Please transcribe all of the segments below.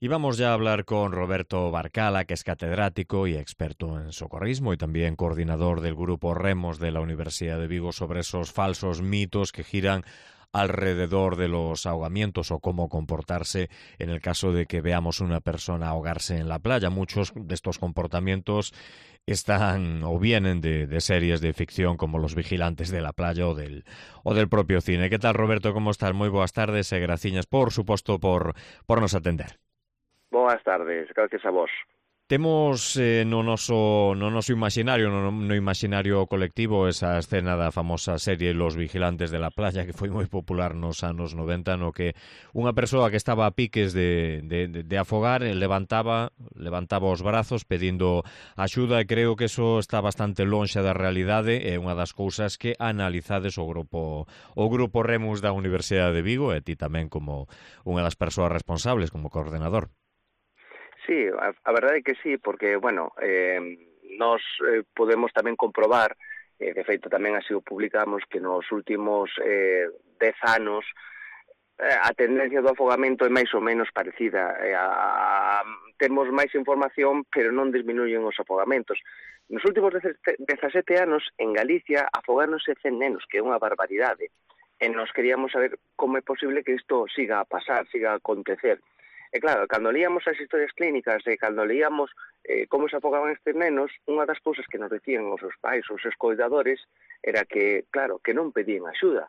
Y vamos ya a hablar con Roberto Barcala, que es catedrático y experto en socorrismo y también coordinador del grupo Remos de la Universidad de Vigo, sobre esos falsos mitos que giran alrededor de los ahogamientos o cómo comportarse en el caso de que veamos una persona ahogarse en la playa. Muchos de estos comportamientos están o vienen de series de ficción como Los Vigilantes de la Playa o del propio cine. ¿Qué tal, Roberto? ¿Cómo estás? Moi boas tardes e graciñas, por suposto, por nos atender. Boas tardes, gracias a vos. Temos no noso imaginario, no imaginario colectivo, esa escena da famosa serie Los Vigilantes de la Playa, que foi moi popular nos anos 90, no que unha persoa que estaba a piques de afogar levantaba os brazos pedindo axuda, e creo que eso está bastante lonxe da realidade. É unha das cousas que analizades o grupo Remus da Universidade de Vigo, e ti tamén como unha das persoas responsables, como coordenador. Sí, a verdade é que sí, porque, bueno, nos podemos tamén comprobar, de feito tamén así o publicamos, que nos últimos 10 anos a tendencia do afogamento é máis ou menos parecida. Temos máis información, pero non disminuyen os afogamentos. Nos últimos 17 anos, en Galicia, afogáronse 100 nenos, que é unha barbaridade. E nos queríamos saber como é posible que isto siga a pasar, siga a acontecer. E claro, cando leíamos as historias clínicas e cando leíamos como se afogaban estes nenos, unha das cousas que nos decían os seus pais, os seus cuidadores, era que, claro, que non pedían axuda.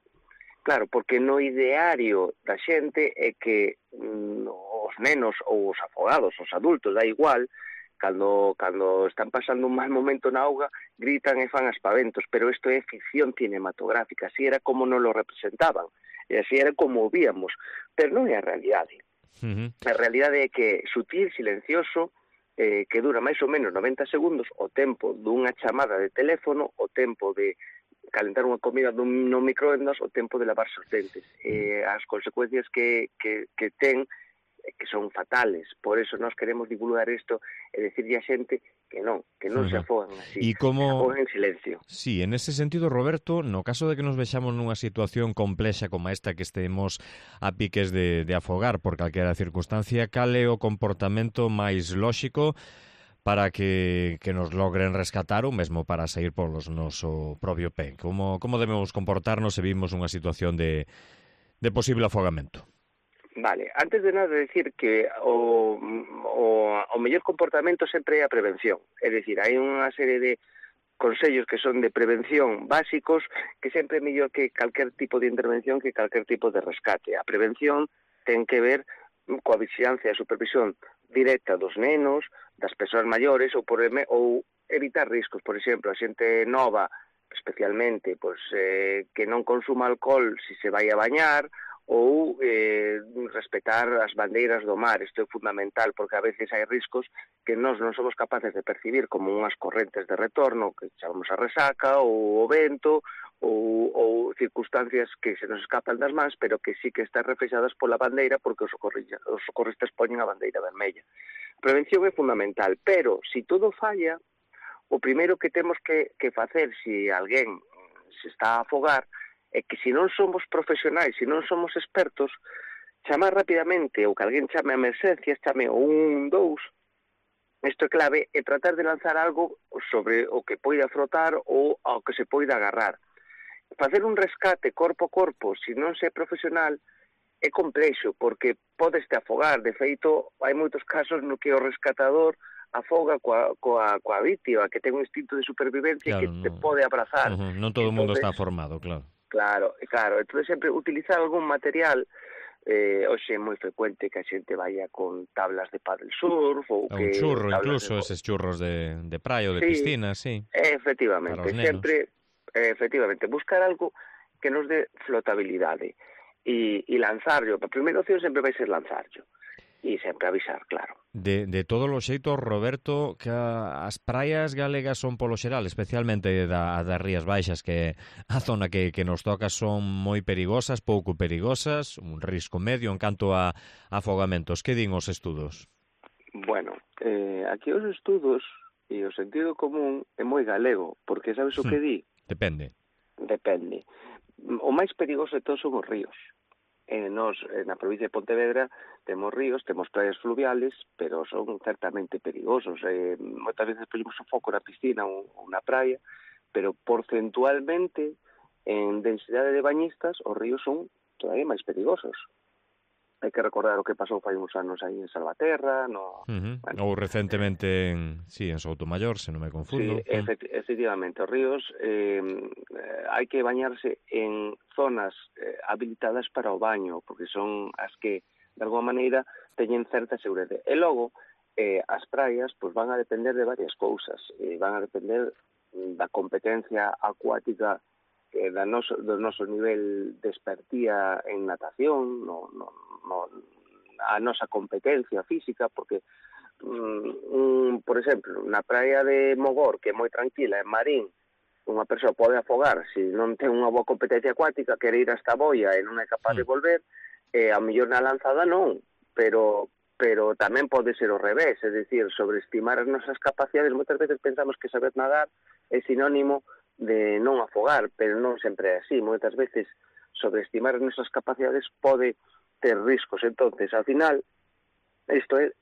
Claro, porque no ideario da xente é que os nenos ou os afogados, os adultos, da igual, cando están pasando un mal momento na auga, gritan e fan aspaventos, pero isto é ficción cinematográfica, así era como nos lo representaban, e así era como o víamos, pero non é a realidade. A realidade é que sutil, silencioso, que dura máis ou menos 90 segundos, o tempo dunha chamada de teléfono, o tempo de calentar unha comida no microondas, o tempo de lavarse os dentes. As consecuencias que ten que son fatales. Por eso nós queremos divulgar isto e decirlle a xente que non se afogan así, E como... se afogan en silencio. Sí, en ese sentido, Roberto, no caso de que nos vexamos nunha situación complexa como esta, que estemos a piques de afogar por calquera circunstancia, cal é o comportamento máis lóxico para que nos logren rescatar ou mesmo para sair polos noso propio pé? Como debemos comportarnos se vimos unha situación de posible afogamento? Vale, antes de nada decir que o mellor comportamento sempre é a prevención. É dicir, hai unha serie de consellos que son de prevención básicos que sempre é mellor que calquer tipo de intervención, que calquer tipo de rescate. A prevención ten que ver coa vigilancia e supervisión directa dos nenos, das persoas maiores ou evitar riscos. Por exemplo, a xente nova, especialmente, que non consuma alcohol se se vai a bañar, ou respetar as bandeiras do mar. Isto é fundamental, porque a veces hai riscos que nós non somos capaces de percibir, como unhas correntes de retorno, que chamamos a resaca, ou o vento, ou circunstancias que se nos escapan das mans, pero que sí que están reflexadas pola bandeira, porque os socorristas poñen a bandeira vermella. A prevención é fundamental, pero se todo falla, o primeiro que temos que facer, se alguén se está a afogar, é que se non somos profesionais, se non somos expertos, chamar rapidamente, ou que alguén chame a emerxencias, chame o 112, isto é clave, e tratar de lanzar algo sobre o que poida frotar ou ao que se poida agarrar. Facer un rescate corpo a corpo, se non se é profesional, é complexo, porque podeste afogar. De feito, hai moitos casos no que o rescatador afoga coa vítima, que ten un instinto de supervivencia, claro, que te pode abrazar. Non todo o mundo está formado, claro. Claro. Entón, sempre utilizar algún material. Hoxe é moi frecuente que a xente vaya con tablas de paddle surf ou un churro, incluso eses churros de praia ou de piscina, sí. Efectivamente, sempre buscar algo que nos dé flotabilidade e lanzarlo. A primeira opción sempre vai ser lanzarlo e sempre avisar, claro. De todos os xeitos, Roberto, que as praias galegas son polo xeral, especialmente das Rías Baixas, que a zona que nos toca, son moi perigosas, pouco perigosas, un risco medio en canto a afogamentos. Que din os estudos? Bueno, aquí os estudos e o sentido común é moi galego, porque sabes o que di? Depende. O máis perigoso de todos son os ríos. Nos, na provincia de Pontevedra, temos ríos, temos praias fluviales, pero son certamente perigosos. Moitas veces ponemos o foco na piscina ou na praia, pero porcentualmente, en densidade de bañistas, os ríos son todavía máis perigosos. Hai que recordar o que pasou fai uns anos aí en Salvaterra, Bueno. Ou recentemente en Soutomayor, se non me confundo. Sí, efectivamente, os ríos hai que bañarse en zonas habilitadas para o baño, porque son as que, de alguma maneira, teñen certa seguridade. E logo, as praias pues, van a depender de varias cousas. Van a depender da competencia acuática, do noso nivel de expertía en natación, a nosa competencia física, porque, por exemplo, na praia de Mogor, que é moi tranquila, en Marín, unha persoa pode afogar se non ten unha boa competencia acuática, quere ir hasta a boia e non é capaz de volver, a mellor na lanzada non, pero tamén pode ser o revés, é dicir, sobreestimar as nosas capacidades. Moitas veces pensamos que saber nadar é sinónimo de non afogar, pero non sempre é así. Moitas veces sobreestimar as nosas capacidades pode ter riscos. Entonces, ao final, isto é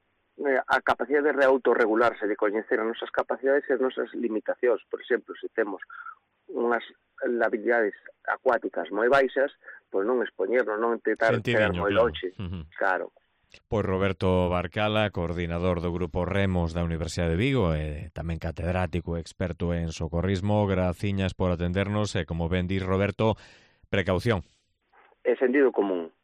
a capacidade de autorregularse, de coñecer as nosas capacidades e as nosas limitacións. Por exemplo, se temos unhas habilidades acuáticas moi baixas, pois non expoñernos, non intentar chegar moi longe. Claro. Pois Roberto Barcala, coordinador do Grupo Remos da Universidade de Vigo e tamén catedrático e experto en socorrismo, graciñas por atendernos e, como ben dis Roberto, precaución. É sentido común.